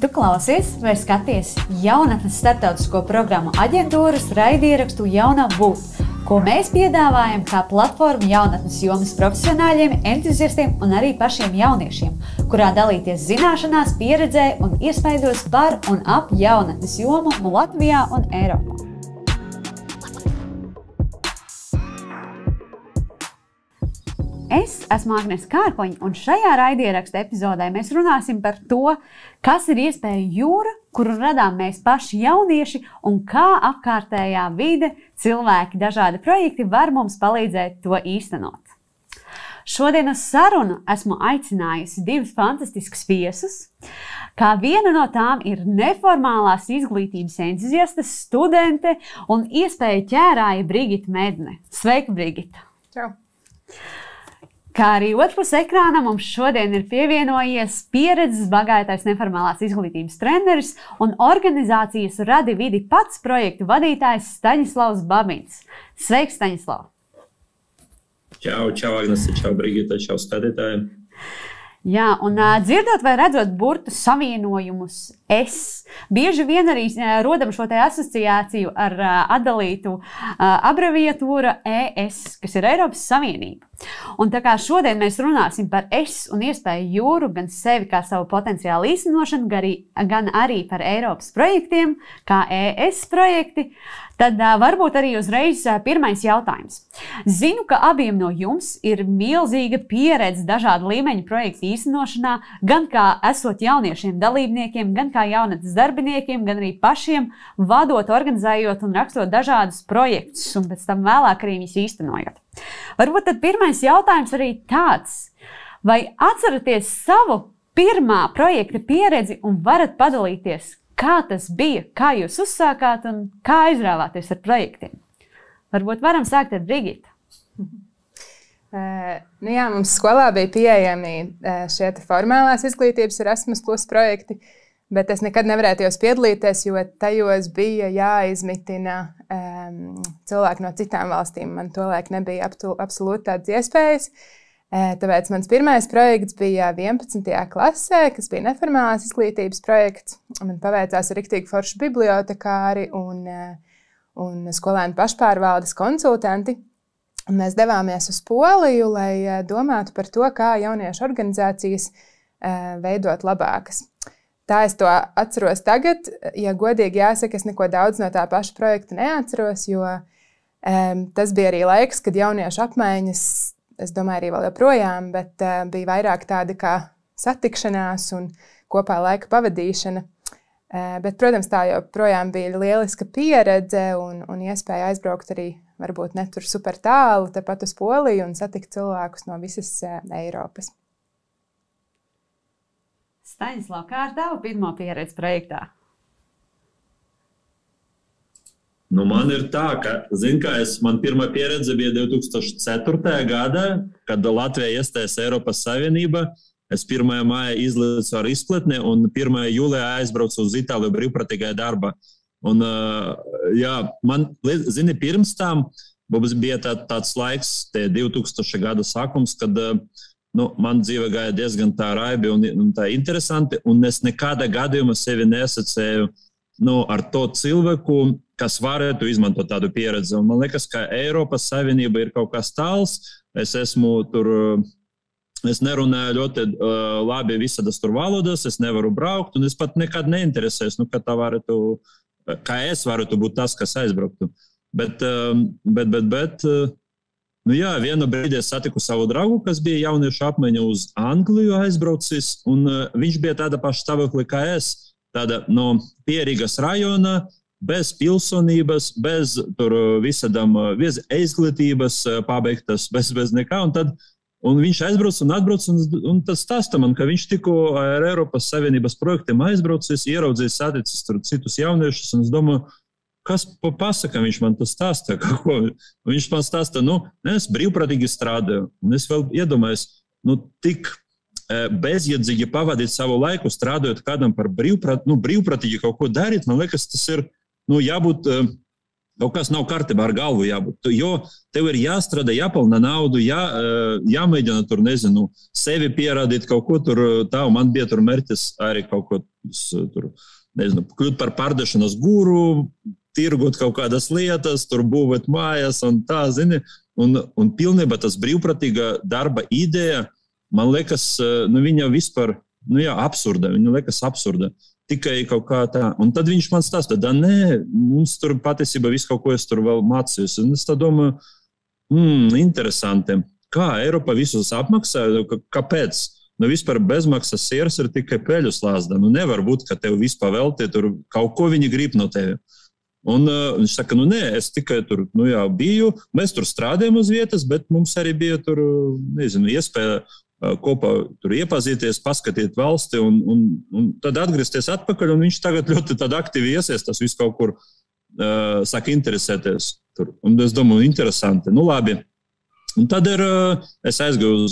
Tu klausies vai skaties jaunatnes starptautisko programmu aģentūras raidierakstu Jaunā būt, ko mēs piedāvājam kā platformu jaunatnes jomas profesionāļiem, entuziastiem un arī pašiem jauniešiem, kurā dalīties zināšanās, pieredzē un iespaidos par un ap jaunatnes jomu Latvijā un Eiropā. Es esmu Agnese Kārkoņa, un šajā raidieraksta epizodē mēs runāsim par to, kas ir iespēja jūra, kuru radām mēs paši jaunieši, un kā apkārtējā vide, cilvēki, dažādi projekti var mums palīdzēt to īstenot. Šodien uz sarunu esmu aicinājusi divus fantastiskus viesus. Kā viena no tām ir neformālās izglītības entuziaste, studente un iespēja ķērāja Brigita Medne. Sveika, Brigita! Čau! Kā arī otrpus ekrāna mums šodien ir pievienojies pieredzes bagātais neformālās izglītības treneris un organizācijas Radi vidi pats projektu vadītājs Staņislavs Babins. Sveiks, Staņislav! Čau, Agnese, čau, Brigita, čau skatītājiem! Jā, un dzirdot vai redzot burtu savienojumus bieži vien arī rodam šo te asociāciju ar atdalītu abreviatūru ES, kas ir Eiropas Savienība. Un tā kā šodien mēs runāsim par un iespēju jūru, gan sevi kā savu potenciālu īstenošanu, gan arī par Eiropas projektiem, kā ES projekti, tad varbūt arī uzreiz pirmais jautājums. Zinu, ka abiem no jums ir milzīga pieredze dažādu līmeņu projektu īstenošanā, gan kā esot jauniešiem dalībniekiem, gan kā jaunatnes darbiniekiem, gan arī pašiem vadot, organizējot un rakstot dažādus projektus, un pēc tam vēlāk arī viņus īstenojot. Varbūt tad pirmais jautājums arī tāds, vai atceraties savu pirmā projekta pieredzi un varat padalīties, kā tas bija, kā jūs uzsākāt un kā aizrāvāties ar projektiem? Varbūt varam sākt ar Brigitu. Jā, mums skolā bija pieejami šie formālās izglītības Erasmus Plus projekti, bet es nekad nevarēju tajos piedalīties, jo tajos bija jāizmitina cilvēki no citām valstīm. Man tolaik nebija absolūti tādas iespējas. Tāpēc mans pirmais projekts bija 11. klasē, kas bija neformālās izglītības projekts. Man paveicās ar riktīgi foršu bibliotekāri un skolēnu pašpārvaldes konsultanti. Un mēs devāmies uz Poliju, lai domātu par to, kā jauniešu organizācijas veidot labākas. Tā es to atceros tagad. Ja godīgi jāsaka, es neko daudz no tā paša projekta neatceros, jo tas bija arī laiks, kad jauniešu apmaiņas, es domāju, arī vēl joprojām, bet bija vairāk tāda kā satikšanās un kopā laika pavadīšana. Bet, protams, tā joprojām bija lieliska pieredze un iespēja aizbraukt arī varbūt ne tur super tālu, tepat uz Poliju un satikt cilvēkus no visas Eiropas. Staņislav, kā ar tavu pirmo pieredzi projektā? Man ir tā, ka, man pirmā pieredze bija 2004. gadā, kad Latvija iestājas Eiropas Savienība. Es 1. maija izlīdzu ar izpletni un 1. jūlijā aizbraucu uz Itāliju brīvprātīgajā darbā. Un, man, pirms tam mums bija tāds laiks, 2000. gada sākums, kad man dzīve gāja diezgan tā raibi un tā interesanti, un es nekādā gadījumā sevi nesacēju ar to cilvēku, kas varētu izmantot tādu pieredzi. Un man liekas, ka Eiropas Savienība ir kaut kas tāls. Es nerunāju ļoti labi visādas tur valodas, es nevaru braukt, un es pat nekad neinteresēs, kā es varētu būt tas, kas aizbrauktu. Bet vienu brīdi es satiku savu draugu, kas bija jauniešu apmaiņa uz Angliju aizbraucis, un viņš bija tāda paša stāvoklī kā es, tāda no Pierīgas rajona, bez pilsonības, bez tur visādām, bez izglītības pabeigtas, bez nekā, un viņš aizbrauc un atbrauc, un tas stāsta man, ka viņš tikko ar Eiropas Savienības projektiem aizbraucis, ieraudzījis, saticis tur citus jauniešus, un es domāju, kas pasaka, viņš man tas stāsta, viņš man stāsta, es brīvprātīgi strādāju, un es vēl iedomājos, tik bezjēdzīgi pavadīt savu laiku, strādājot kādam par brīvprātīgi kaut ko darīt, man liekas, tas ir, jābūt Kaut kas nav kārtībā ar galvu jābūt, jo tev ir jāstrādā, jāpelna naudu, jāmēģina tur, nezinu, sevi pierādīt kaut ko tur, tā, un man bija tur mērķis arī kaut ko tur, nezinu, kļūt par pārdešanas guru, tirgot kaut kādas lietas, tur būvēt mājas un tā, zini, un pilnībā tas brīvprātīga darba ideja, man liekas, viņa vispār, absurda, viņa liekas absurda. Tikai kaut kā tā. Un tad viņš man stāsta, nē, mums tur patiesībā viss kaut ko es tur vēl mācījos. Un es tā domāju, interesanti, kā Eiropa visus apmaksā, kāpēc? Vispār bezmaksas siers ir tikai peļu slāzda. Nevar būt, ka tev vispār velti, tur kaut ko viņi grib no tevi. Un viņš saka, nē, es tikai tur, biju, mēs tur strādājam uz vietas, bet mums arī bija tur, nezinu, iespēja kopā tur iepazīties, paskatīt valsti un tad atgriezties atpakaļ, un viņš tagad ļoti tad aktīvi iesaistās visu kaut kur, saka, interesēties tur. Un es domāju, interesanti, labi. Un tad es aizgāju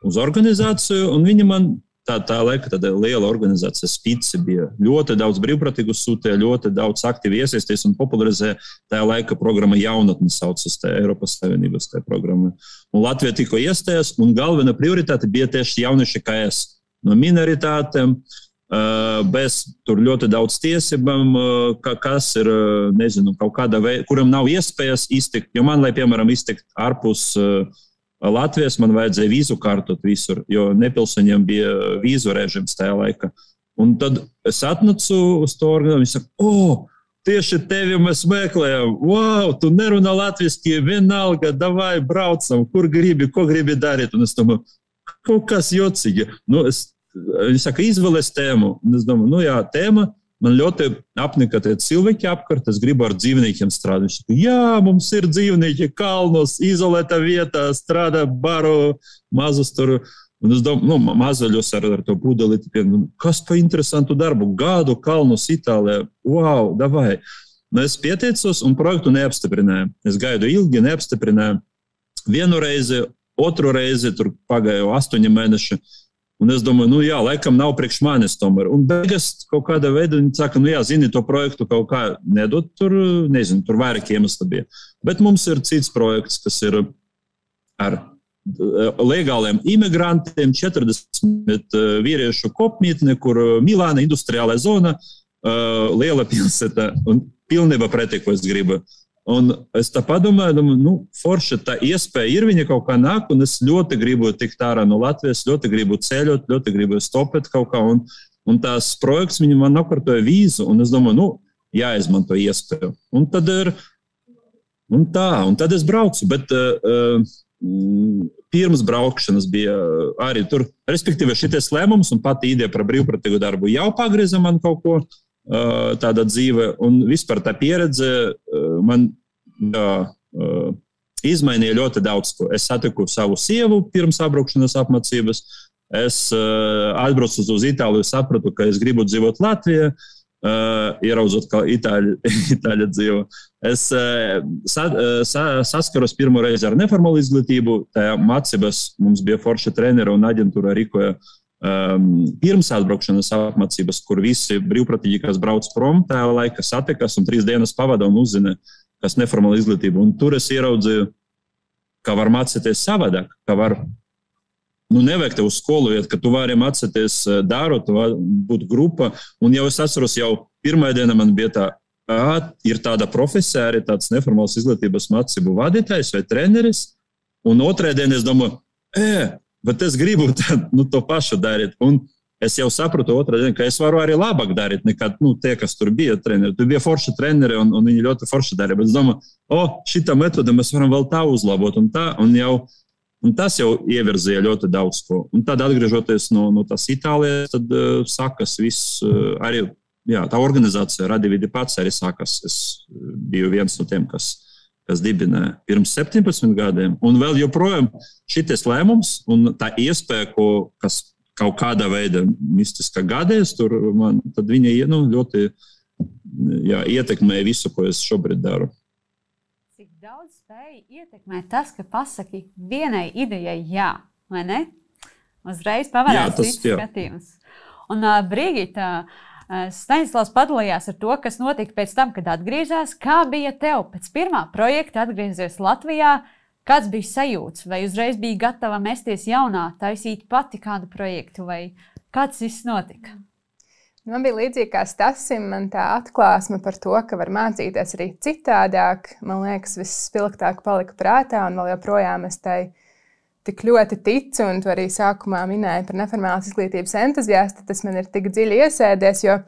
uz organizāciju, un viņi man tā laika tāda liela organizācija Spici bija. Ļoti daudz brīvprātīgu sūtīja, ļoti daudz aktīvi iesaistījās un popularizēja tā laika programma Jaunatne saucas tā Eiropas Savienības tā programma. Un Latvija tikko iestājās, un galvenā prioritāte bija tieši jaunieši KS. No minoritātēm, bez tur ļoti daudz tiesībām, kas ir, nezinu, kaut kāda veida, kuram nav iespējas iztikt, jo man, lai, piemēram, iztikt ārpus Latvijas, man vajadzēja vīzu kārtot visur, jo nepilsoņiem bija vīzu režims tajā laikā. Un tad es atnacu uz to organizāciju, viņi saka, tieši tevi mēs meklējam, wow, tu nerunā latviski, vienalga, davai, braucam, kur gribi, ko gribi darīt. Un es domāju, kaut kas jocīgi. Viņi saka, izvēlēs tēmu. Un es domāju, tēma. Man ļoti apnika tie cilvēki apkārt, es gribu ar dzīvniekiem strādāt. Viņš saka, jā, mums ir dzīvnieki kalnos, izolēta vietā, strādā baru, mazus tur. Un es domāju, mazaļos ar to pudeli, kas pa interesantu darbu, gadu kalnos Itālijā, wow, davai. Es pieteicos un projektu neapstiprināju. Es gaidu ilgi, neapstiprināju. Vienu reizi, otru reizi, tur pagāju 8 mēneši. Un es domāju, laikam nav priekš manis tomēr. Un beigās kaut kādā veidā viņi saka, zini, to projektu kaut kā nedot, tur, nezinu, tur vairāk iemesli bija. Bet mums ir cits projekts, kas ir ar legāliem imigrantiem, 40 vīriešu kopmītne, kur Milāna industriālā zona, liela pilsēta un pilnībā pretī, ko es gribu. Un es tā padomāju, forši tā iespēja ir, viņa kaut kā nāk, un es ļoti gribu tikt ārā no Latvijas, ļoti gribu ceļot, ļoti gribu stopēt kaut kā, un tās projekts viņi man nokārtoja vīzu, un es domāju, jāizmanto iespēju. Un tad un tad es braucu, bet pirms braukšanas bija arī tur, respektīvi šitais lēmums, un pati ideja par brīvprātīgu darbu jau pagrieza man kaut ko, tāda dzīve, un vispār tā pieredze man izmainīja ļoti daudz ko. Es satiku savu sievu pirms apbraukšanas apmācības, es atbraucu uz Itāliju, sapratu, ka es gribu dzīvot Latvijā, ieraudzot, kā Itāļa dzīvo. Es saskaros pirmo reizi ar neformālu izglītību, tajā mācības mums bija forša trenera un aģentūra rīkoja pirms atbraukšanas apmācības, kur visi brīvprātīgi, kas brauc prom, tajā laika satikas un 3 dienas pavada un uzzina, kas neformāla izglītība. Un tur es ieraudzīju, ka var mācīties savādāk, ka var, nevajag tev uz skolu iet, ka tu vari mācīties darot, tu vari būt grupa. Un jau es atceros, jau pirmā diena man bija tā, ir tāda profesija, arī tāds neformāls izglītības mācību vadītājs vai treneris. Un otrā diena es domāju, bet es gribu to pašu darīt. Un es jau sapratu otrā diena, ka es varu arī labāk darīt nekā tie, kas tur bija treneri. Tur bija forši treneri un viņi ļoti forši darīja. Bet es domāju, šitā metode mēs varam vēl tā uzlabot un tā. Un tas jau ievirzīja ļoti daudz ko. Un tad atgriežoties no tās Itālijas, tad sākas viss arī, tā organizācija Radividi pats arī sākas. Es biju viens no tiem, kas dibināja pirms 17 gadiem. Un vēl joprojām šitais lēmums un tā iespēja, kas kaut kādā veidā mistiskā gadēs, tad viņa ļoti ietekmēja visu, ko es šobrīd daru. Cik daudz spēja ietekmēt tas, ka pasaki vienai idejai jā, vai ne? Uzreiz pavarās cits skatījums. Un Brigita, Staņislavs padalījās ar to, kas notika pēc tam, kad atgriezās. Kā bija tev pēc pirmā projekta atgriezies Latvijā? Kāds bija sajūts? Vai uzreiz bija gatava mesties jaunā, taisīt pati kādu projektu? Vai kāds viss notika? Man bija līdzīgi kā Stasim, man tā atklāsme par to, ka var mācīties arī citādāk. Man liekas, viss spilgtāk palika prātā, un vēl joprojām es tai tik ļoti ticu, un tu arī sākumā minēji par neformālās izglītības entuziasti, tas man ir tik dziļi iesēdies, jo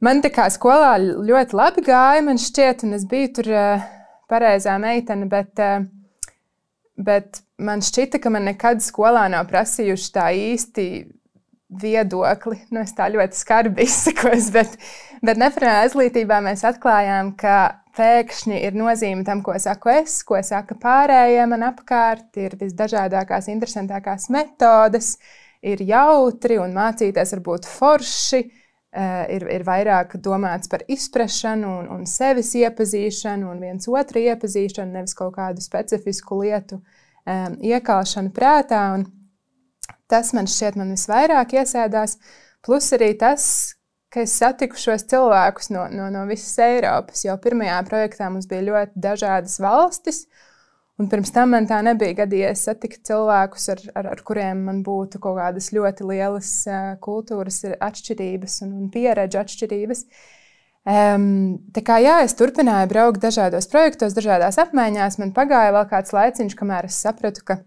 man tā kā skolā ļoti labi gāja, man šķiet, un es biju tur pareizā meitene, bet man šķita, ka man nekad skolā nav prasījuši tā īsti viedokli. Nu, es tā ļoti skarbi izsakos, bet neformālā izglītībā mēs atklājām, ka pēkšņi ir nozīme tam, ko saku es, ko saka pārējie man apkārt, ir visdažādākās, interesantākās metodes, ir jautri un mācīties var būt forši, ir vairāk domāts par izprašanu un sevis iepazīšanu un viens otru iepazīšanu, nevis kaut kādu specifisku lietu iekalšanu prātā. Un tas man šķiet man visvairāk iesēdās, plus arī tas, ka es satiku šos cilvēkus no visas Eiropas. Jau pirmajā projektā mums bija ļoti dažādas valstis, un pirms tam man tā nebija gadījies satikt cilvēkus, ar kuriem man būtu kaut kādas ļoti lielas kultūras atšķirības un pieredžu atšķirības. Tā kā jā, es turpināju braukt dažādos projektos, dažādās apmaiņās. Man pagāja vēl kāds laiciņš, kamēr es sapratu, ka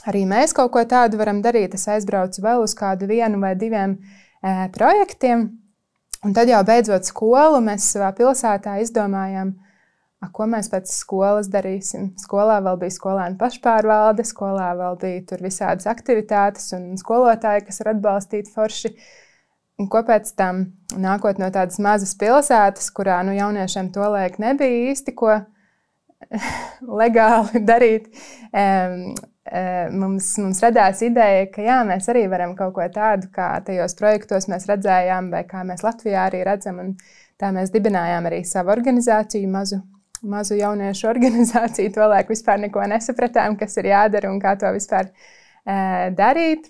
arī mēs kaut ko tādu varam darīt. Es aizbraucu vēl uz kādu 1 vai 2 projektiem, un tad jau beidzot skolu mēs savā pilsētā izdomājām, ko mēs pēc skolas darīsim. Skolā vēl bija skolēnu pašpārvalde, skolā vēl bija tur visādas aktivitātes un skolotāji, kas var atbalstīt forši. Un ko pēc tam, nākot no tādas mazas pilsētas, kurā jauniešiem tolaik nebija īsti ko legāli darīt, mums radās ideja, ka jā, mēs arī varam kaut ko tādu, kā tajos projektos mēs redzējām, vai kā mēs Latvijā arī redzam. Un tā mēs dibinājām arī savu organizāciju, mazu jauniešu organizāciju. Tolaik vispār neko nesapratām, kas ir jādara un kā to vispār darīt.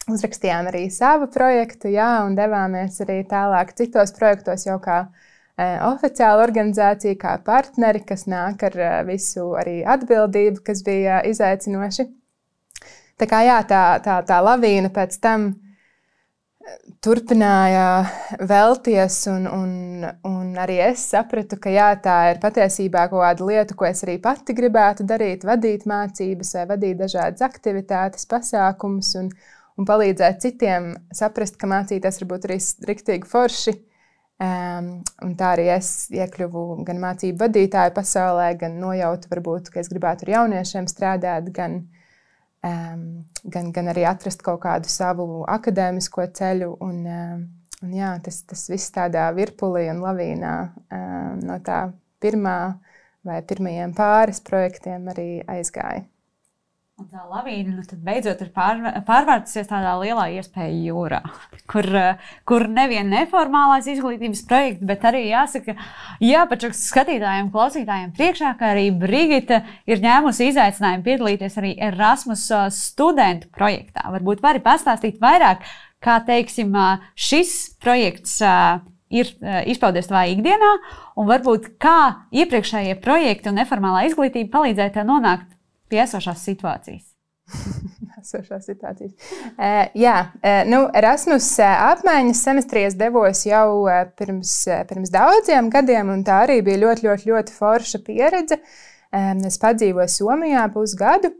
Uzrakstījām arī savu projektu, jā, un devāmies arī tālāk citos projektos jau kā oficiāla organizācija, kā partneri, kas nāk ar visu arī atbildību, kas bija izaicinoši. Tā kā jā, tā lavīna pēc tam turpināja velties, un arī es sapratu, ka jā, tā ir patiesībā kaut kāda lieta, ko es arī pati gribētu darīt, vadīt mācības vai vadīt dažādas aktivitātes, pasākumus un palīdzēt citiem saprast, ka mācīties var būt arī riktīgi forši. Un tā arī es iekļuvu gan mācību vadītāju pasaulē, gan nojautu varbūt, ka es gribētu ar jauniešiem strādāt, gan arī atrast kaut kādu savu akadēmisko ceļu. Un jā, tas viss tādā virpulī un lavīnā no tā pirmā vai pirmajiem pāris projektiem arī aizgāja. Un tā lavīna tad beidzot ir pārvērtusies tādā lielā iespēju jūrā, kur nevien neformālais izglītības projekts, bet arī jāsaka, jāpačaks skatītājiem, klausītājiem priekšā, ka arī Brigita ir ņēmusi izaicinājumu piedalīties arī Erasmus studentu projektā. Varbūt vari pastāstīt vairāk, kā, teiksim, šis projekts ir izpaudies tavā ikdienā, un varbūt kā iepriekšējie projekti un neformālā izglītība palīdzēja tev nonākt pie esošās situācijas. Esošās situācijas. Erasmus apmaiņas semestrī es devos jau pirms daudziem gadiem, un tā arī bija ļoti, ļoti, ļoti forša pieredze. Es padzīvoju Somijā pusgadu,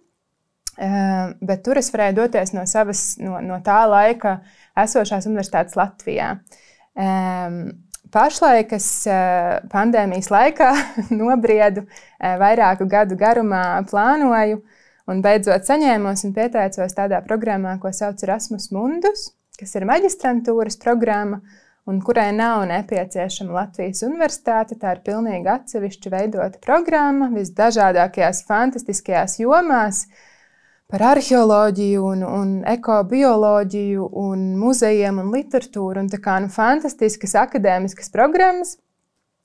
bet tur es varēju doties no tā laika esošās universitātes Latvijā. Pašlaik es pandēmijas laikā nobriedu, vairāku gadu garumā plānoju un beidzot saņēmos un pieteicos tādā programmā, ko sauc Erasmus Mundus, kas ir maģistrantūras programma un kurai nav nepieciešama Latvijas universitāte. Tā ir pilnīgi atsevišķi veidota programma visdažādākajās fantastiskajās jomās, par arheoloģiju un ekobioloģiju un muzejiem un literatūru. Un tā kā fantastiskas akadēmiskas programmas.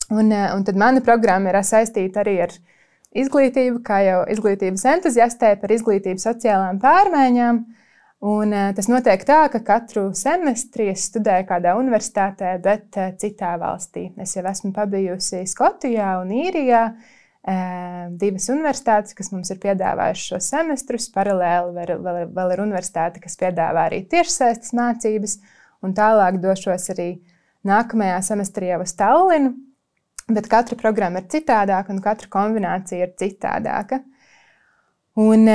Un tad mana programma ir saistīta arī ar izglītību, kā jau izglītības entuziastē par izglītību sociālām pārmaiņām. Un tas notiek tā, ka katru semestri es studēju kādā universitātē, bet citā valstī. Es jau esmu pabijusi Skotijā un Īrijā, 2 universitātes, kas mums ir piedāvājušas šo semestrus. Paralēli vēl ir universitāte, kas piedāvā arī tiešsaistes mācības, un tālāk došos arī nākamajā semestrī jau uz Tallinu, bet katra programma ir citādāka un katra kombinācija ir citādāka. Un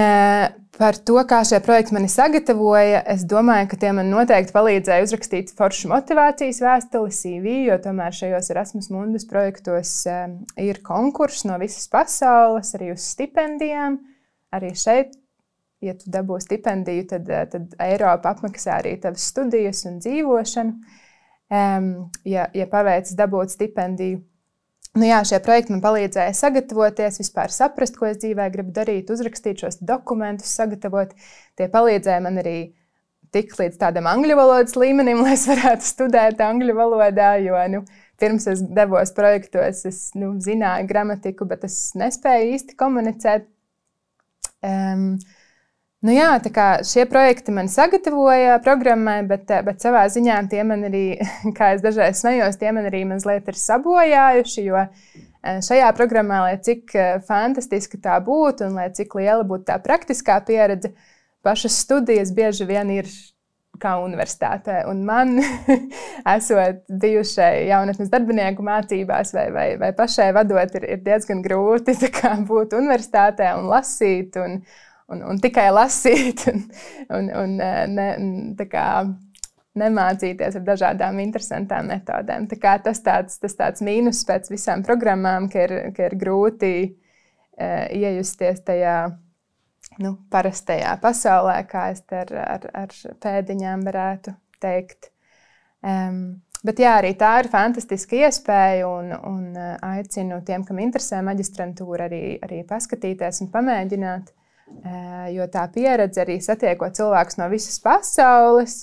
par to, kā šie projekti mani sagatavoja, es domāju, ka tie man noteikti palīdzēja uzrakstīt foršu motivācijas vēstuli, CV, jo tomēr šajos Erasmus Mundus projektos ir konkurss no visas pasaules, arī uz stipendijām. Arī šeit, ja tu dabū stipendiju, tad Eiropa apmaksā arī tavas studijas un dzīvošanu. Ja paveicis dabūt stipendiju. Nu jā, šie projekti man palīdzēja sagatavoties, vispār saprast, ko es dzīvē gribu darīt, uzrakstīt šos dokumentus, sagatavot. Tie palīdzēja man arī tikt līdz tādam angļu valodas līmenim, lai es varētu studēt angļu valodā, jo pirms es devos projektos, es zināju gramatiku, bet es nespēju īsti komunicēt. Jā, tā kā šie projekti man sagatavoja programmai, bet savā ziņā tie man arī, kā es dažreiz smējos, tie man arī mazliet ir sabojājuši, jo šajā programmā, lai cik fantastiski tā būtu un lai cik liela būtu tā praktiskā pieredze, pašas studijas bieži vien ir kā universitātē. Un man, esot bijušai jaunatnes darbinieku mācībās vai pašai vadot, ir diezgan grūti tā kā būt universitātē un lasīt un tikai lasīt un nemācīties ar dažādām interesantām metodēm. Tā kā tas tāds mīnus pēc visām programmām, ka ir grūti iejusties tajā parastajā pasaulē, kā es ar pēdiņām varētu teikt. Bet jā, arī tā ir fantastiska iespēja un aicinu tiem, kam interesē maģistrantūra, arī paskatīties un pamēģināt. Jo tā pieredze arī satiekot cilvēkus no visas pasaules,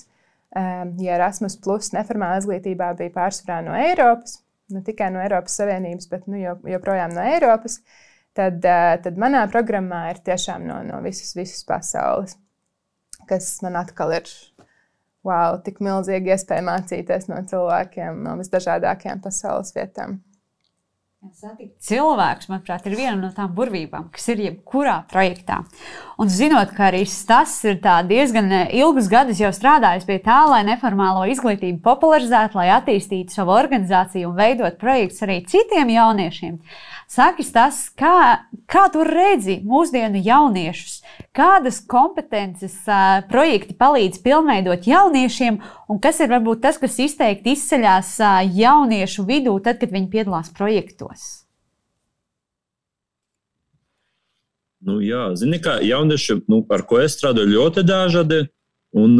ja Erasmus Plus neformālā izglītībā bija pārsvarā no Eiropas, ne tikai no Eiropas Savienības, bet joprojām no Eiropas, tad manā programmā ir tiešām no visas pasaules, kas man atkal ir tik milzīgi iespēja mācīties no cilvēkiem no visdažādākajām pasaules vietām. Satikt cilvēkus, manuprāt, ir viena no tām burvībām, kas ir jebkurā projektā. Un zinot, ka arī tas ir diezgan ilgus gadus jau strādājis pie tā, lai neformālo izglītību popularizētu, lai attīstītu savu organizāciju un veidot projektus arī citiem jauniešiem. Saki, tas, kā tu redzi mūsdienu jauniešus, kādas kompetences projekti palīdz pilnveidot jauniešiem un kas ir varbūt tas, kas izteikti izceļās jauniešu vidū tad, kad viņi piedalās projektos? Jā, zini, kā jaunieši, ar ko es strādāju, ļoti dažādi. Un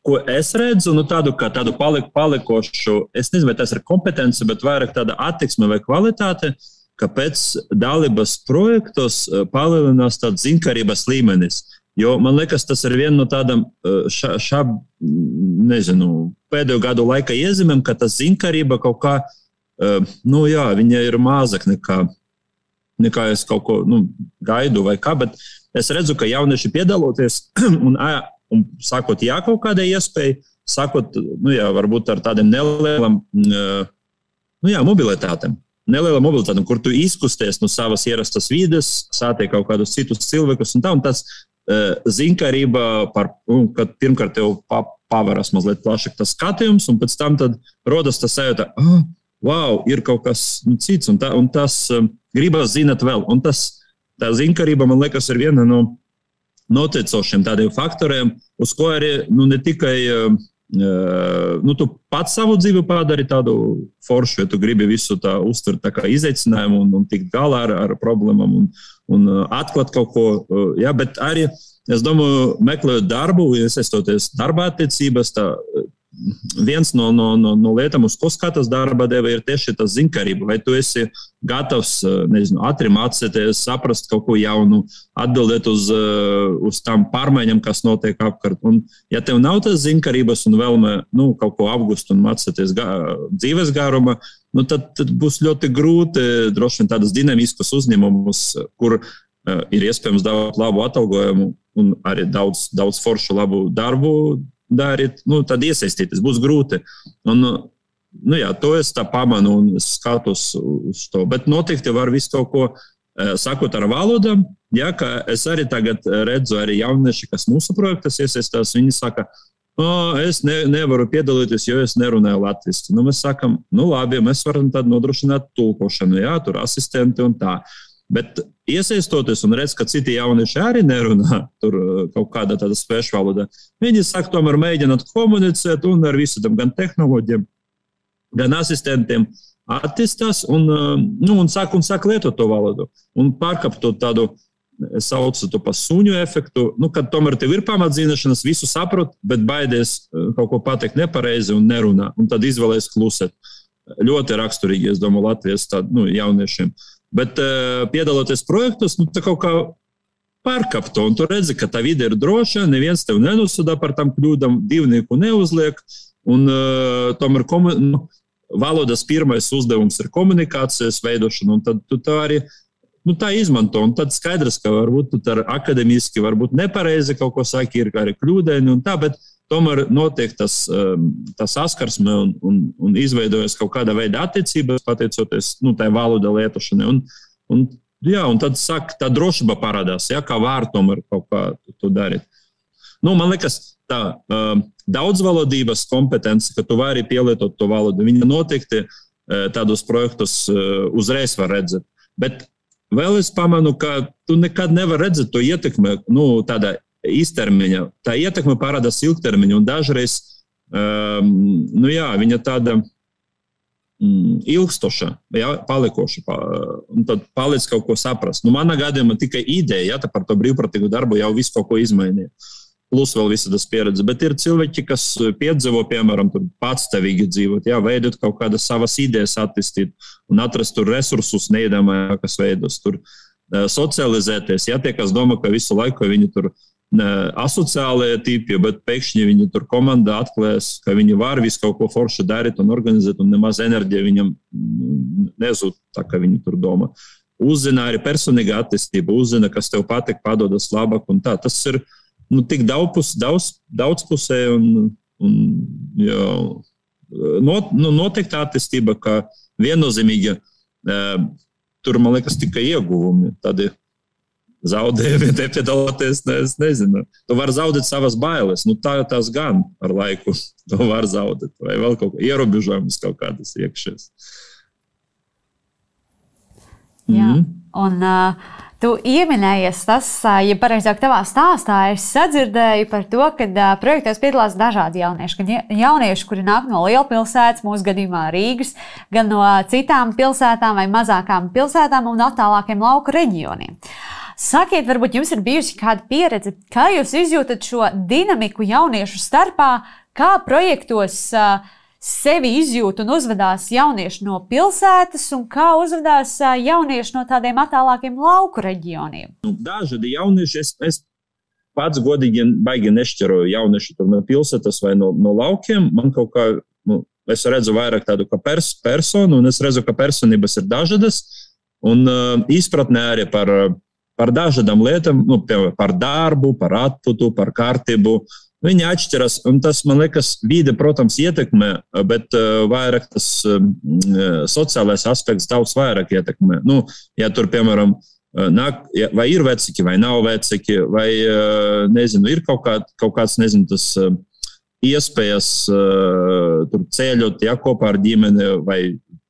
ko es redzu, tādu palikošu, es nezinu, vai tas ir kompetence, bet vairāk tāda attieksme vai kvalitāte, ka pēc dalības projektos palielinās tāds zinkarības līmenis. Jo man liekas, tas ir viena no tādām pēdējo gadu laika iezīmēm, ka tas zinkarība kaut kā, viņa ir mazāk nekā es kaut ko gaidu vai kā, bet es redzu, ka jaunieši piedaloties un sākot kaut kādai iespēju, sākot, varbūt ar tādiem nelielām, mobilitātēm. Neliela mobilitāte, kur tu izkusties no savas ierastas vides, sātiek kaut kādus citus cilvēkus un tā, un tas zinkarība, kad pirmkārt tev pavaras mazliet plašāk tas skatījums, un pēc tam tad rodas tas sajūta, ir kaut kas cits, un tas gribas zināt vēl, un tā zinkarība, man liekas, ir viena no noteicošiem tādiem faktoriem, uz ko arī ne tikai tu pats savu dzīvi padari tādu foršu, ja tu gribi visu tā uztvert tā kā izaicinājumu un tikt galā ar problēmām un atklāt kaut ko, bet arī, es domāju, meklējot darbu, iesaistoties darba attiecības, tā viens no lietām, uz ko skatās darba deva, ir tieši tas zinkarība. Vai tu esi gatavs, ātri mācīties, saprast kaut ko jaunu, atbildēt uz tām pārmaiņām, kas notiek apkārt. Un, ja tev nav tas zinkarības un vēlme kaut ko apgūst un mācīties dzīves garuma, tad būs ļoti grūti droši vien tādas dinamiskas uzņēmumus, kur ir iespējams dabūt labu atalgojumu, un arī daudz foršu labu darbu darīt, tad iesaistīties būs grūti. Un, jā, to es tā pamanu un skatos uz to. Bet noteikti var visu kaut ko sakot ar valodām. Ja, ka es arī tagad redzu arī jaunieši, kas mūsu projektas iesaistās, viņi saka, es nevaru piedalīties, jo es nerunāju latviski. Mēs sakam, labi, mēs varam tad nodrošināt tulkošanu, jā, tur asistenti un tā. Bet iesaistoties un redz, ka citi jaunieši arī nerunā tur kaut kāda tāda svešu valoda, viņi saka, tomēr mēģināt komunicēt un ar visam gan tehnoloģiem, gan asistentiem attīstās un sāk lietot to valodu. Un pārkapt to tādu, es saucu to pa suņu efektu, kad tomēr tev ir pamatzināšanas, visu saprot, bet baidies kaut ko pateikt nepareizi un nerunā. Un tad izvēlēs klusēt. Ļoti raksturīgi, es domāju, Latvijas jauniešiem. Bet piedaloties projektos, tā kaut kā pārkap to. Un tu redzi, ka tā vide ir droša, neviens tev nenosūdā par tam kļūdam, divnieku neuzliek. Un tomēr valodas pirmais uzdevums ir komunikācijas veidošana, un tad tu tā arī tā izmanto. Un tad skaidrs, ka varbūt tu tā akademiski, varbūt nepareizi kaut ko saki, ir arī kļūdaini un tā, bet tomēr notiek tas saskarsme un izveidojas kaut kāda veida attiecības, pateicoties tai valoda lietošanai. Un tad sāk tā drošība parādās, ja, kā var tomēr kaut kā to darīt. Man liekas, tā daudzvalodības kompetence, ka tu vari pielietot to valodu, viņa noteikti tādos projektos uzreiz var redzēt. Bet vēl es pamanu, ka tu nekad nevar redzēt to ietekmi, tādā īstermiņa. Tā ietekme parādās ilgtermiņa, un dažreiz, viņa tāda ilgstoša, palikoša, un tad paliec kaut ko saprast. Manā gadījumā tikai ideja, par to brīvprātīgu darbu jau visu kaut ko izmainīja. Plus vēl visa tas pieredze. Bet ir cilvēki, kas piedzīvo, piemēram, patstāvīgi dzīvot, veidot kaut kādas savas idejas attīstīt un atrast tur resursus neiedomājākas veidos, tur socializēties. Tie, kas domā, ka visu laiku viņi tur asociālie tipi, bet pēkšņi viņi tur komandā atklājas, ka viņi var visu kaut ko forši darīt un organizēt, un nemaz enerģija viņam nezūd tā, ka viņi tur domā. Uzzina arī personīga attīstība, uzzina, kas tev patīk, padodas labāk un tā. Tas ir tik daudzpusēji un noteikti attīstība, ka viennozīmīgi tur, man liekas, tikai ieguvumi. Tādi zaudējumi, te piedaloties, es nezinu. Tu vari zaudēt savas bailes. Tās gan ar laiku tu var zaudēt. Vai vēl kaut kā ierobežojumus kaut kādas iekšies. Jā, un tu ieminējies tas, ja pareizāk tavā stāstā, es sadzirdēju par to, ka projektos piedalās dažādi jaunieši. Gan jaunieši, kuri nāk no lielpilsētas, mūsu gadījumā Rīgas, gan no citām pilsētām vai mazākām pilsētām un attālākiem lauku reģioniem. Sakiet, varbūt jums ir bijusi kāda pieredze, kā jūs izjūtat šo dinamiku jauniešu starpā, kā projektos sevi izjūt un uzvedās jaunieši no pilsētas un kā uzvedās jaunieši no tādiem attālākiem lauku reģioniem? Dažādi jaunieši, es pats godīgi baigi nešķiroju jaunieši no pilsētas vai no laukiem. Man kaut kā, es redzu vairāk tādu kā personu, un es redzu, ka personības ir dažādas, un izpratnē arī par dažādām lietām, par darbu, par atputu, par kārtību. Viņi atšķiras, un tas, man liekas, vide, protams, ietekmē, bet vairāk tas sociālais aspekts daudz vairāk ietekmē. Ja tur, piemēram, vai ir veciki, vai nav veciki, vai, nezinu, ir kaut kāds, nezinu, tas iespējas tur ceļot, kopā ar ģimeni, vai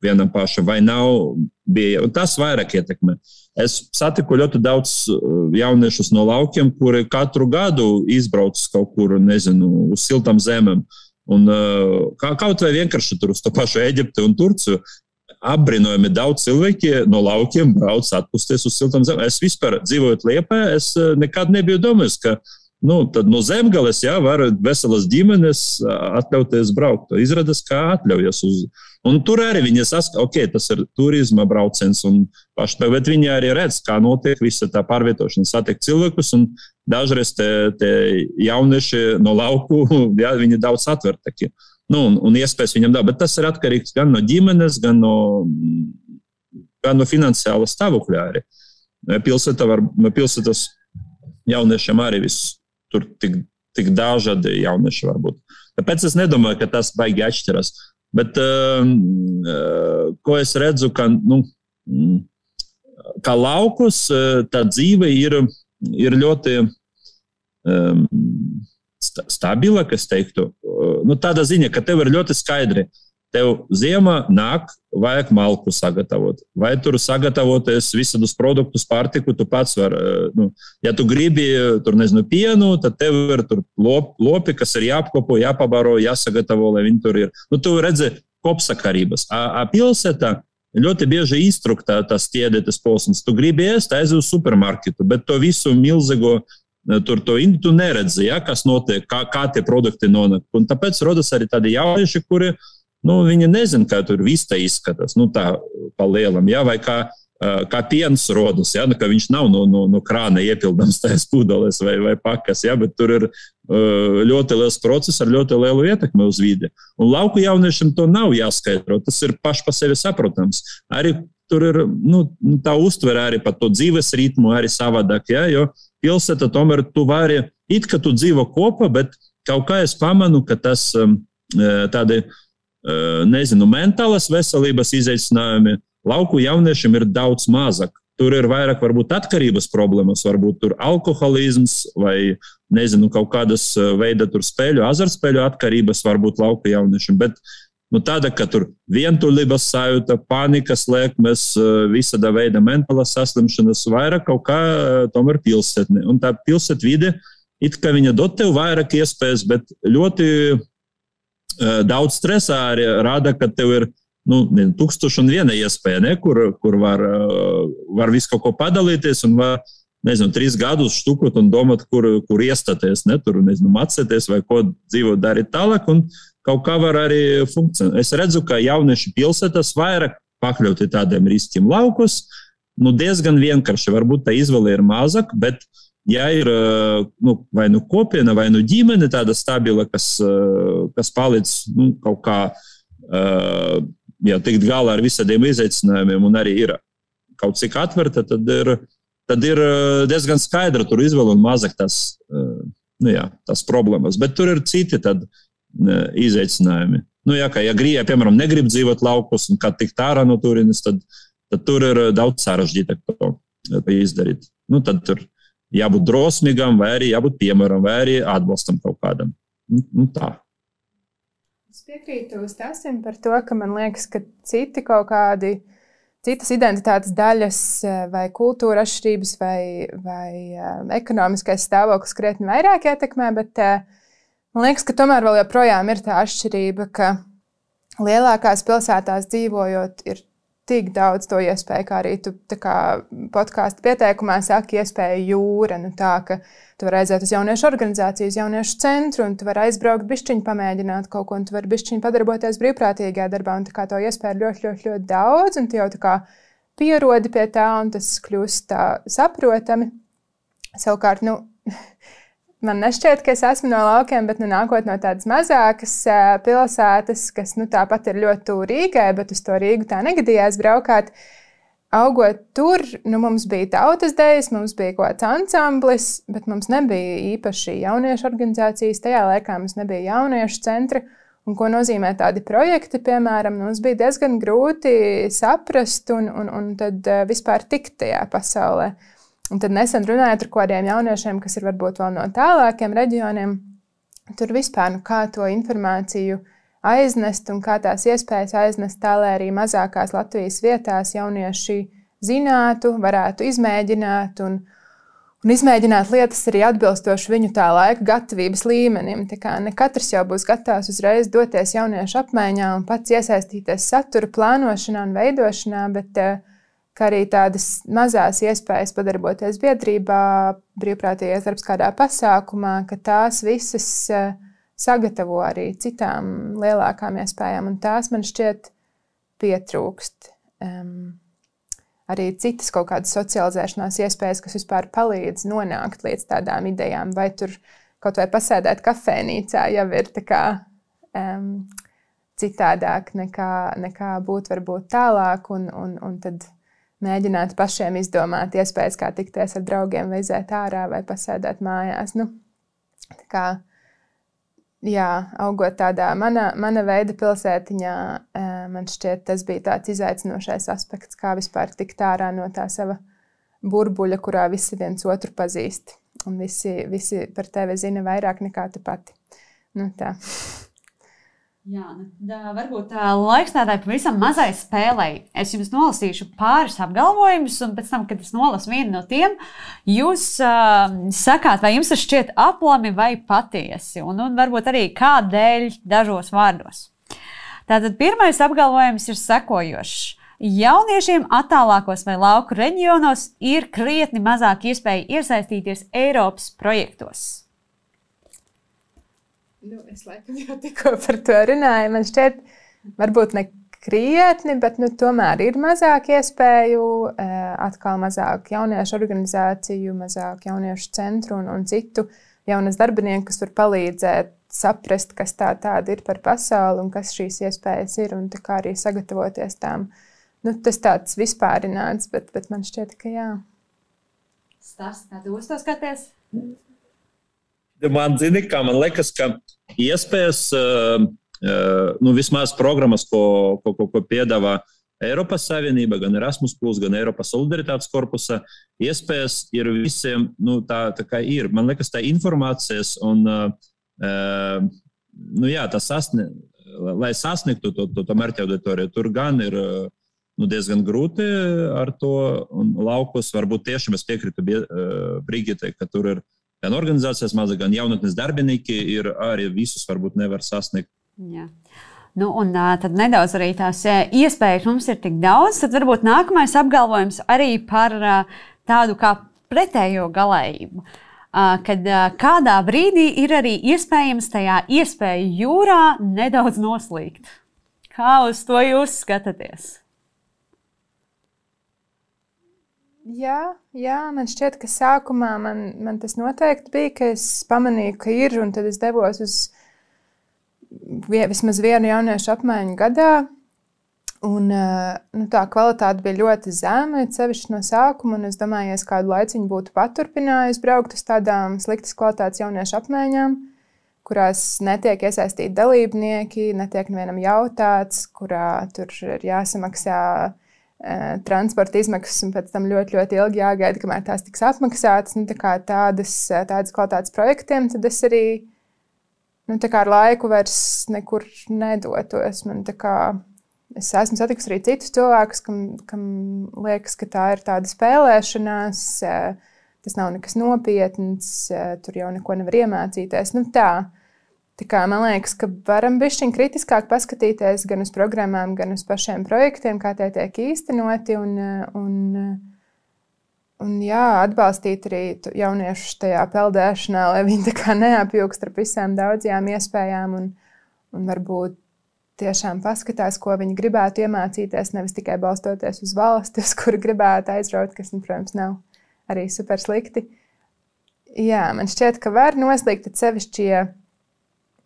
vienam pašam, vai nav, bija, un tas vairāk ietekmē. Es satiku ļoti daudz jauniešus no laukiem, kuri katru gadu izbrauc kaut kur, nezinu, uz siltām zemēm. Un kaut vai vienkārši tur uz to pašu Eģipti un Turciju apbrīnojami daudz cilvēki no laukiem brauc atpusties uz siltām zemēm. Es vispār dzīvojot Liepājā, es nekad nebiju domājis, ka tad no Zemgales, var veselas ģimenes atļauties braukt. Izrādās, kā atļaujas un tur arī viņi saka, tas ir turisma brauciens un paši, bet viņi arī redz, kā notiek visa tā pārvietošana, satiek cilvēkus un dažreiz te jaunieši no lauku, viņi daudz atvertaki. Un iespējas viņam bet tas ir atkarīgs gan no ģimenes, gan no finansiāla stāvokļa arī. Pilsētas jauniešiem arī viss tur tik dažādi jaunieši var būt. Tāpēc es nedomāju, ka tas baigi atšķiras. Bet ko es redzu, ka laukus tā dzīve ir ļoti stabila, kas teiktu. Tāda ziņa, ka tev ir ļoti skaidri. Tev ziemā nāk, vajag malku sagatavot. Vai tur sagatavoties visādus produktus, pārtiku, tu pats var. Ja tu gribi tur, pienu, tad tev ir tur lopi, kas ir jāapkopo, jāpabaro, jāsagatavo, lai viņi tur ir. Tu redzi kopsakarības. Pilsētā ļoti bieži iztrukta tas ķēdetes posms. Tu gribi ēst, aiziet uz supermarketu, bet to visu milzīgo tu neredzi, ja, kas notiek, kā tie produkti nonāk. Un tāpēc rodas arī tādi jaunieši, kuri viņi nezina, kā tur viss te izskatās, tā pa lielam, ja, vai kā piens rodas, ja, ka viņš nav no krāna iepildams tajās pudeles vai pakas, ja, bet tur ir ļoti liels process ar ļoti lielu ietekmi uz vidi. Un lauku jauniešiem to nav jāskaidro, tas ir paši pa sevi saprotams. Arī tur ir tā uztvere arī par to dzīves ritmu arī savādāk, ja, jo pilsēta tomēr tu vari, it kā tu dzīvo kopā, bet kaut kā es pamanu, ka tas tādi mentālas veselības izaicinājumi lauku jauniešiem ir daudz mazāk. Tur ir vairāk varbūt atkarības problēmas, varbūt tur alkoholisms vai, kaut kādas veida tur azartspēļu atkarības varbūt lauku jauniešiem, bet tāda, ka tur vientulības sajūta, panikas liekmes, visāda veida mentālas saslimšanas, vairāk kaut kā tomēr pilsētne. Un tā pilsētvide, it kā viņa dod tev vairāk iespējas, bet ļoti daudz stresā arī rada, ka tev ir 1001 iespēja, ne, kur var visu kaut ko padalīties un var, 3 gadus štukot un domāt, kur iestāties, ne, tur, mācēties vai ko dzīvot darīt tālāk, un kaut kā var arī funkcionēt. Es redzu, ka jaunieši pilsētas vairāk pakļauti tādiem riskiem laukus, diezgan vienkārši, varbūt tā izvēle ir mazāk, bet ja ir vai kopiena, vai ģimene tāda stabila, kas palīdz kaut kā tikt galā ar visādiem izaicinājumiem un arī ir kaut cik atverta, tad ir diezgan skaidra tur izvēle un mazāk tas problēmas. Bet tur ir citi tad izaicinājumi. Ja piemēram, negrib dzīvot laukos un kad tikt ārā no turienes, tad tur ir daudz sarežģītāk to izdarīt. Tad tur jābūt drosmīgam, vai arī jābūt piemēram, vai arī atbalstam kaut kādam. Tā. Es piekrītu Stāstim par to, ka man liekas, ka citas identitātes daļas vai kultūra atšķirības vai ekonomiskais stāvoklis krietni vairāk ietekmē, bet man liekas, ka tomēr vēl joprojām ir tā atšķirība, ka lielākās pilsētās dzīvojot ir tik daudz to iespēju, kā arī tu podkāstu pieteikumā saki, iespēja jūra, tā, ka tu vari aiziet uz jauniešu organizāciju, uz jauniešu centru, un tu vari aizbraukt bišķiņu pamēģināt kaut ko, un tu vari bišķiņu padarboties brīvprātīgajā darbā, un to iespēju ļoti, ļoti, ļoti daudz, un tu jau pierodi pie tā, un tas kļūst tā saprotami. Savukārt, man nešķiet, ka es esmu no laukiem, bet nākot no tādas mazākas pilsētas, kas tāpat ir ļoti tuvu Rīgai, bet uz to Rīgu tā negadījās braukāt. Augot tur, mums bija tautas dejas, mums bija kaut kāds ansamblis, bet mums nebija īpaši jauniešu organizācijas. Tajā laikā mums nebija jauniešu centra. Un ko nozīmē tādi projekti, piemēram, mums bija diezgan grūti saprast un tad vispār tikt tajā pasaulē. Un tad nesen runājot ar kādiem jauniešiem, kas ir varbūt vēl no tālākiem reģioniem, tur vispār kā to informāciju aiznest un kā tās iespējas aiznest tā, lai arī mazākās Latvijas vietās jaunieši zinātu, varētu izmēģināt un izmēģināt lietas arī atbilstoši viņu tā laika gatavības līmenim. Tā kā ne katrs jau būs gatavs uzreiz doties jauniešu apmaiņā un pats iesaistīties satura plānošanā un veidošanā, bet kā arī tādas mazās iespējas padarboties biedrībā, brīvprātīgais darbs kādā pasākumā, ka tās visas sagatavo arī citām lielākām iespējām, un tās man šķiet pietrūkst. Arī citas kaut kādas socializēšanās iespējas, kas vispār palīdz nonākt līdz tādām idejām, vai tur kaut vai pasēdēt kafejnīcā jau ir tā kā citādāk nekā būt varbūt tālāk, un tad mēģināt pašiem izdomāt iespējas, kā tikties ar draugiem, vai iziet ārā, vai pasēdēt mājās. Nu, tā kā, jā, augot tādā mana veida pilsētiņā, man šķiet, tas bija tāds izaicinošais aspekts, kā vispār tikt ārā no tā sava burbuļa, kurā visi viens otru pazīst. Un visi par tevi zina vairāk nekā tu pati. Nu, tā. Jā, varbūt laiks tādai pavisam mazai spēlei. Es jums nolasīšu pāris apgalvojumus, un pēc tam, kad es nolasu vienu no tiem, jūs sakāt, vai jums tas šķiet aplami vai patiesi, un varbūt arī kādēļ dažos vārdos. Tātad pirmais apgalvojums ir sekojošs. Jauniešiem attālākos vai lauku reģionos ir krietni mazāk iespēja iesaistīties Eiropas projektos. Nu, es laikam jau tikko par to runāju. Man šķiet, varbūt ne krietni, bet tomēr ir mazāk iespēju, atkal mazāk jauniešu organizāciju, mazāk jauniešu centru un citu jaunas darbinieku, kas var palīdzēt saprast, kas tāda ir par pasauli un kas šīs iespējas ir, un tā kā arī sagatavoties tām. Nu, tas tāds vispārināts, bet man šķiet, ka jā. Stāsts, kā tu uz to skaties? Man liekas, ka iespējas, vismaz programmas, ko piedāvā Eiropas Savienība, gan Erasmus+, gan Eiropas Solidaritātes korpusa, iespējas ir visiem, tā kā ir. Man liekas, tā informācijas un, lai sasniegtu to mērķa auditoriju, tur gan ir diezgan grūti ar to, un laukos varbūt tiešām es piekrītu Brigitai, ka tur ir gan organizācijas maza, gan jaunatnes darbinieki, ir arī visus varbūt nevar sasniegt. Jā. Nu, un tad nedaudz arī tās iespējas mums ir tik daudz, tad varbūt nākamais apgalvojums arī par tādu kā pretējo galējību. Kad kādā brīdī ir arī iespējams tajā iespēju jūrā nedaudz noslīgt. Kā uz to jūs skatāties? Jā, man šķiet, ka sākumā man tas noteikti bija, ka es pamanīju, ka ir, un tad es devos uz vismaz vienu jauniešu apmaiņu gadā, un tā kvalitāte bija ļoti zema, sevišķi no sākuma, un es domāju, ja es kādu laiciņu būtu paturpinājusi braukt uz tādām sliktas kvalitātes jauniešu apmaiņām, kurās netiek iesaistīti dalībnieki, netiek nevienam jautāts, kurā tur ir jāsamaksā transporta izmaksas un pēc tam ļoti, ļoti ilgi jāgaida, kamēr tās tiks apmaksātas. Tā kā tādas kvalitātes projektiem, tad es arī tā kā ar laiku vairs nekur nedotos. Es esmu satikusi arī citus cilvēkus, kam liekas, ka tā ir tāda spēlēšanās, tas nav nekas nopietns, tur jau neko nevar iemācīties. Tā kā man liekas, ka varam bišķiņ kritiskāk paskatīties gan uz programmām, gan uz pašiem projektiem, kā tie tiek īstenoti, un atbalstīt arī jauniešus tajā peldēšanā, lai viņi tā kā neapjūgst ar visām daudzajām iespējām un varbūt tiešām paskatās, ko viņi gribētu iemācīties, nevis tikai balstoties uz valsti, uz kuru gribētu aizraut, kas, protams, nav arī super slikti. Jā, man šķiet, ka var noslīgt sevišķi, ja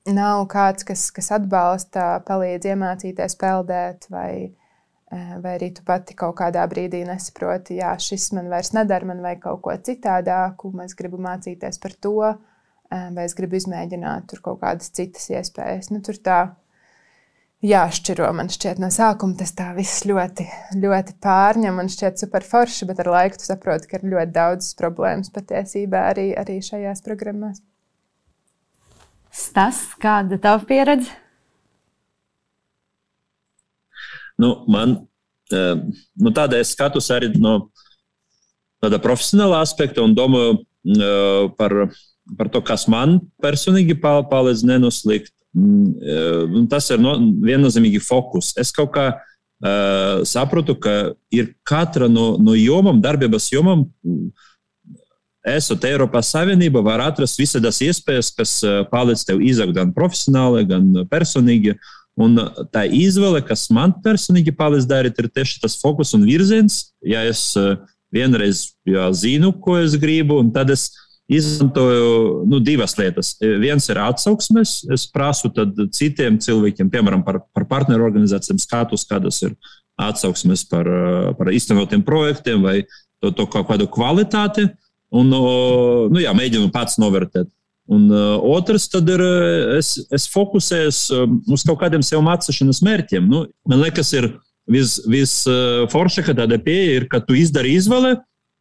nav kāds, kas atbalsta, palīdz iemācīties peldēt, vai arī tu pati kaut kādā brīdī nesaproti, jā, šis man vairs nedara, man vajag kaut ko citādāku, es gribu mācīties par to, vai es gribu izmēģināt tur kaut kādas citas iespējas. Tur tā jāšķiro, man šķiet, no sākuma tas tā viss ļoti, ļoti pārņem, man šķiet super forši, bet ar laiku tu saproti, ka ir ļoti daudz problēmas patiesībā arī šajās programmās. Stas, kāda tava pieredze? Man tāda es skatos arī no tāda profesionāla aspekta un domāju par to, kas man personīgi palīdz nenoslīgt. Tas ir viennozīmīgi fokus. Es kaut kā saprotu, ka ir katra no jomām, darbības jomām, esot Eiropas Savienība, var atrast visādas iespējas, kas palīdz tev izaugt gan profesionāli, gan personīgi. Un tā izvēle, kas man personīgi palīdz darīt, ir tieši tas fokus un virziens. Ja es vienreiz zinu, ko es gribu, un tad es izmantoju divas lietas. Viens ir atsauksmes. Es prasu tad citiem cilvēkiem, piemēram, par partneru organizācijām skatus, kādas ir atsauksmes par īstenotiem projektiem vai to kaut kādu kvalitāti. Un, mēģinu pats novērtēt. Un otrs, tad ir, es fokusējos uz kaut kādiem sev mācīšanas mērķiem. Man liekas, ir visforšākā tāda pieeja, ka tu izdari izvēli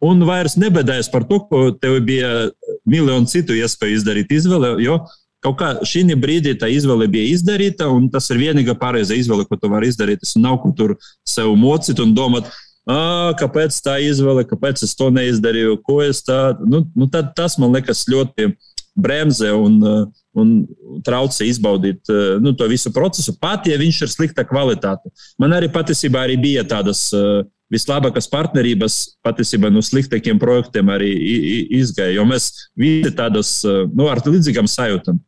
un vairs nebēdājies par to, ko tev bija miljonu citu iespēju izdarīt izvēli, jo kaut kā šī brīdī tā izvēle bija izdarīta, un tas ir vienīgā pareiza izvēle, ko tu vari izdarīt. Es nav ko tur sev mocīt un domāt, kāpēc tā izvēle, kāpēc es to neizdarīju, ko es tā... Tad tas, man liekas, ļoti bremzē un traucē izbaudīt to visu procesu, pat, ja viņš ir slikta kvalitāte. Man arī patiesībā bija tādas vislabākās partnerības, patiesībā no sliktākiem projektiem arī izgāja, jo mēs visi tādas, ar līdzīgām sajūtām.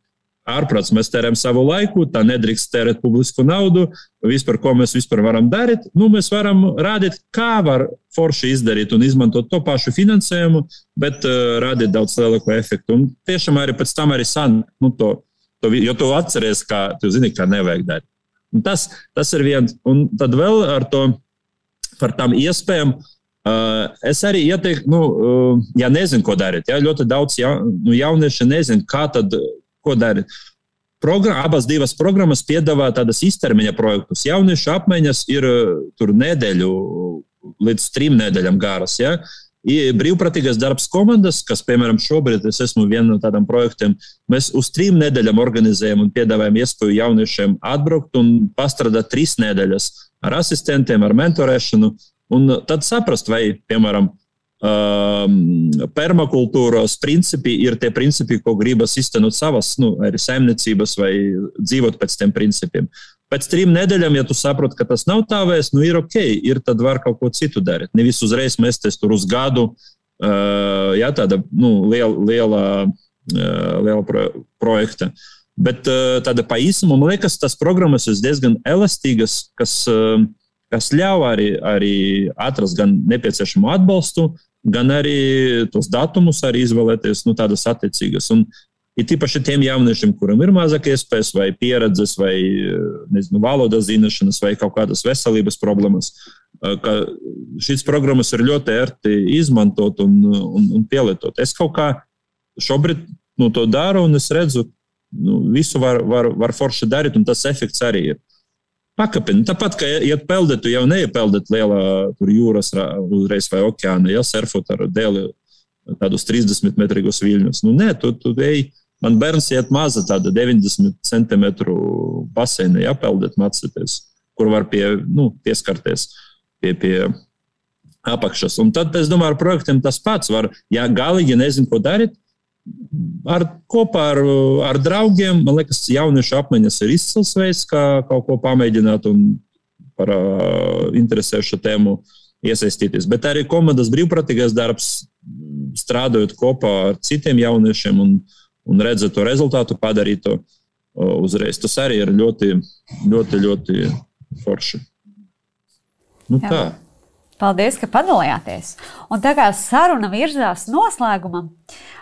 Ārprāts, mēs tērējam savu laiku, tā nedrīkst tērēt publisku naudu, vispār, ko mēs vispār varam darīt. Mēs varam rādīt, kā var forši izdarīt un izmantot to pašu finansējumu, bet rādīt daudz lielāku efektu. Un tiešām arī pēc tam arī jo tu atceries, tu zini, kā nevajag darīt. Un tas ir viens. Un tad vēl ar to, par tām iespējām, es arī ieteiktu, ja nezinu, ko darīt. Ja, ļoti daudz jaunieši nezinu, ko darīt. Abas divas programmas piedāvā tādas īstermiņa projektus. Jauniešu apmaiņas ir tur nedēļu līdz 3 nedēļām garas. Ja? Brīvprātīgais darbs komandas, kas, piemēram, šobrīd es esmu viena no tādām projektiem, mēs uz 3 nedēļām organizējam un piedāvājam iespēju jauniešiem atbraukt un pastrādāt 3 nedēļas ar asistentiem, ar mentorēšanu. Un tad saprast, vai, piemēram, permakultūras principi ir tie principi, ko gribas iztenot savas arī saimniecības vai dzīvot pēc tiem principiem. Pēc 3 nedēļām, ja tu saproti, ka tas nav tā vairs, ir ok, tad var kaut ko citu darīt. Nevis uzreiz mesties tur uz gadu, tāda liela projekta. Bet tāda pa īsumu, man liekas, tas programmas ir diezgan elastīgas, kas ļauj arī atrast gan nepieciešamo atbalstu, gan arī tos datumus arī izvēlēties, tādas attiecīgas. Un ir tīpaši tiem jauniešiem, kuram ir mazāk iespējas vai pieredzes vai, valodas zināšanas vai kaut kādas veselības problēmas, ka šīs programmas ir ļoti ērti izmantot un pielietot. Es kaut kā šobrīd to daru un es redzu, visu var forši darīt un tas efekts arī ir. Pakapini. Tāpat, ka iet peldēt, tu jau neiepeldēt lielā jūras uzreiz vai okeāna, surfot ar dēli tādus 30 metrīgus viļņus. Nē, tu ej, man bērns iet maza tāda 90 centimetru baseina, peldēt mācīties, kur var pieskarties pie apakšas. Un tad, es domāju, ar projektiem tas pats var, ja galīgi nezinu, ko darīt, kopā ar draugiem, man liekas, jauniešu apmaiņas ir izcils veids, kā kaut ko pamēģināt un par interesējušu tēmu iesaistīties. Bet arī komandas brīvprātīgais darbs, strādājot kopā ar citiem jauniešiem un redzēt to rezultātu, padarīt to uzreiz. Tas arī ir ļoti, ļoti, ļoti forši. Tā. Paldies, ka padalījāties. Un tā kā saruna virzās noslēgumam,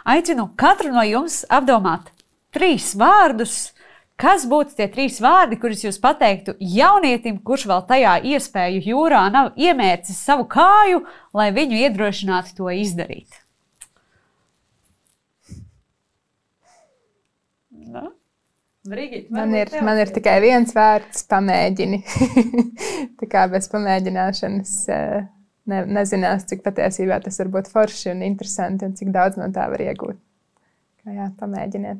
aicinu katru no jums apdomāt 3 vārdus. Kas būtu tie 3 vārdi, kurus jūs pateiktu jaunietim, kurš vēl tajā iespēju jūrā nav iemērcis savu kāju, lai viņu iedrošinātu to izdarīt? Brigita, man ir tikai viens vārds – pamēģini. Tā kā bez pamēģināšanas nezinās, cik patiesībā tas var būt forši un interesanti un cik daudz no tā var iegūt. Pamēģiniet.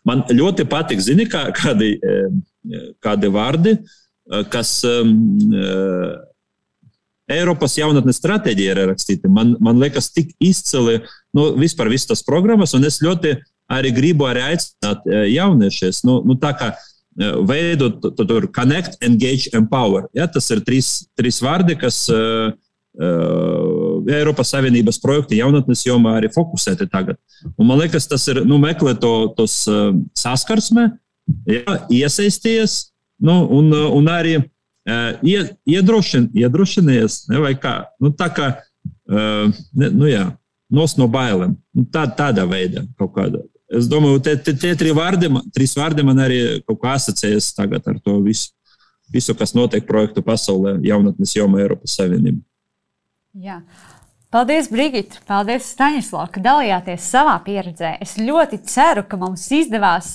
Man ļoti patīk, zini, kādi vārdi, kas Eiropas jaunatnes stratēģija ir rakstīti. Man liekas tik izcili, vispār visas tas programmas, un es ļoti arī gribu aicināt jauniešies, tā kā veidot tur connect, engage, empower. Ja, tas ir 3 vārdi, kas Eiropas Savienības projekti jaunatnes jomā arī fokusēti tagad. Un man liekas, tas ir, meklēt tos saskarsme, iesaisties, un arī iedrošinies, vai kā, tā kā, nos no bailēm. Tādā veidā kaut kādā. Es domāju, tie 3 vārdi man arī kaut kā asociējas tagad ar to visu. visu, kas notiek projektu pasaulē, jaunatnes jomā Eiropas Savienībā. Jā. Paldies, Brigita! Paldies, Staņislav, ka dalījāties savā pieredzē. Es ļoti ceru, ka mums izdevās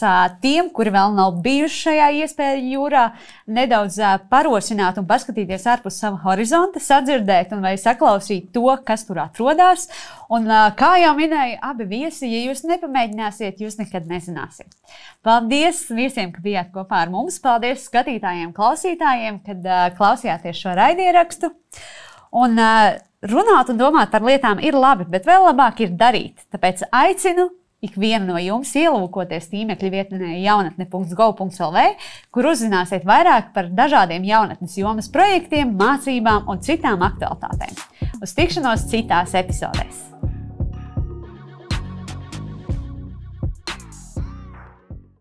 tiem, kuri vēl nav bijuši šajā iespēju jūrā, nedaudz parosināt un paskatīties ārpus sava horizonta, sadzirdēt un vai saklausīt to, kas tur atrodas. Un, kā jau minēja abi viesi, ja jūs nepamēģināsiet, jūs nekad nezināsiet. Paldies visiem, ka bijāt kopā ar mums. Paldies skatītājiem, klausītājiem, kad klausījāties šo raidierakstu. Un runāt un domāt par lietām ir labi, bet vēl labāk ir darīt. Tāpēc aicinu ikvienu no jums ielūkoties tīmekļa vietnē jaunatne.gov.lv, kur uzzināsiet vairāk par dažādiem jaunatnes jomas projektiem, mācībām un citām aktualitātēm. Uz tikšanos citās epizodēs!